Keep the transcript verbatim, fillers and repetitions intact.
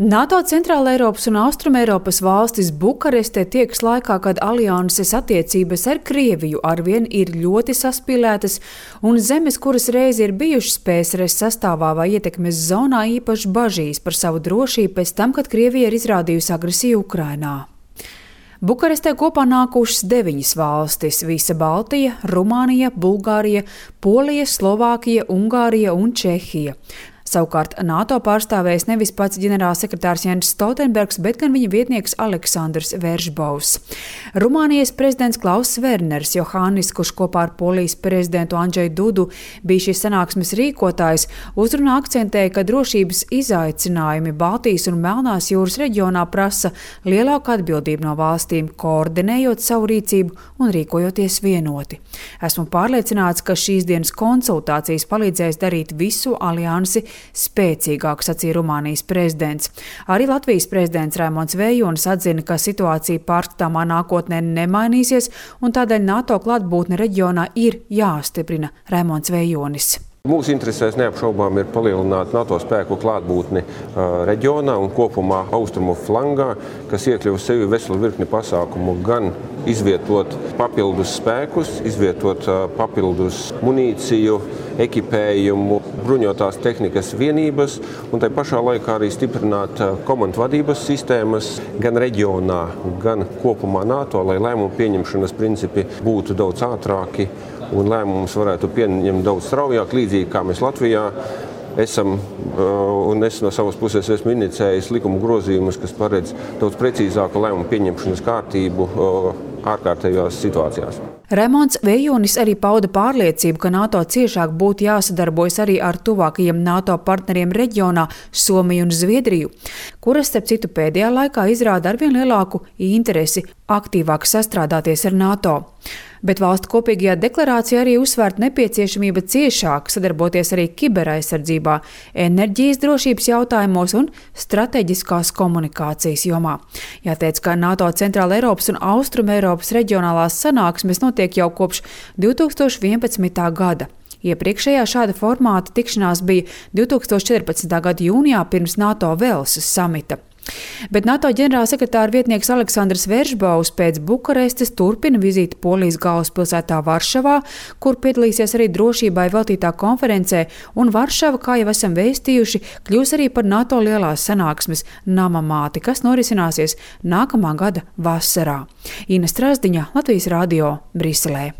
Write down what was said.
NATO Centrāleiropas un Austrumeiropas valstis Bukarestē tiekas laikā, kad alianses attiecības ar Krieviju arvien ir ļoti saspīlētas, un zemes, kuras reiz ir bijušas P S R S sastāvā vai ietekmes zonā, īpaši bažīs par savu drošību pēc tam, kad Krievija ir izrādījusi agresiju Ukrainā. Bukarestē kopā nākušas deviņas valstis - visa Baltija, Rumānija, Bulgārija, Polija, Slovākija, Ungārija un Čehija. Savukārt NATO pārstāvēs nevis pats ģenerālsekretārs Jens Stoltenbergs, bet gan viņa vietnieks Aleksandrs Veržbovs. Rumānijas prezidents Klauss Werners Johānis, kurš kopā ar Polijas prezidentu Andžeju Dudu bija šīs sanāksmes rīkotājs, uzrunā akcentēja, ka drošības izaicinājumi Baltijas un Melnās jūras reģionā prasa lielāku atbildību no valstīm, koordinējot savu rīcību un rīkojoties vienoti. Esmu pārliecināts, ka šīs dienas konsultācijas palīdzēs darīt visu aliansi spēcīgāk, sacīja Rumānijas prezidents. Arī Latvijas prezidents Raimonds Vējonis atzina, ka situācija pārskatāmā nākotnē nemainīsies, un tādēļ NATO klātbūtne reģionā ir jāstiprina. Raimonds Vējonis. Mūsu interesēs neapšaubām ir palielināt NATO spēku klātbūtni uh, reģionā un kopumā austrumu flangā, kas iekļauj sevi veselu virkni pasākumu, gan izvietot papildus spēkus, izvietot uh, papildus munīciju, ekipējumu, bruņotās tehnikas vienības un tai pašā laikā arī stiprināt uh, komandu vadības sistēmas gan reģionā, gan kopumā NATO, lai lēmumu pieņemšanas principi būtu daudz ātrāki un lēmumus varētu pieņemt daudz straujāk, līdzīgi kā mēs Latvijā esam, un es no savas puses esmu inicējis likuma grozījumus, kas paredz daudz precīzāku lēmumu pieņemšanas kārtību ārkārtējās situācijās. Raimonds Vējonis arī pauda pārliecību, ka NATO ciešāk būtu jāsadarbojas arī ar tuvākajiem NATO partneriem reģionā Somiju un Zviedriju, kuras, starp citu, pēdējā laikā izrāda arvien lielāku interesi aktīvāk sastrādāties ar NATO. Bet valstu kopīgajā deklarācijā arī uzsvērt nepieciešamība ciešāk sadarboties arī kiberaizsardzībā, enerģijas drošības jautājumos un strateģiskās komunikācijas jomā. Jāteic, ka NATO Centrāleiropas un Austrumeiropas reģionālās sanāksmes notiek jau kopš divi tūkstoši vienpadsmitā gada. Iepriekšējā šāda formāta tikšanās bija divi tūkstoši četrpadsmitā gada jūnijā pirms NATO Velsas samita. Bet NATO ģenerālsekretāra vietnieks Aleksandrs Veržbovs pēc Bukarestes turpina vizīti Polijas galvaspilsētā Varšavā, kur piedalīsies arī drošībai veltītā konferencē, un Varšava, kā jau esam vēstījuši, kļūs arī par NATO lielās sanāksmes namamāti, kas norisināsies nākamā gada vasarā. Ina Strazdiņa, Latvijas radio, Briselē.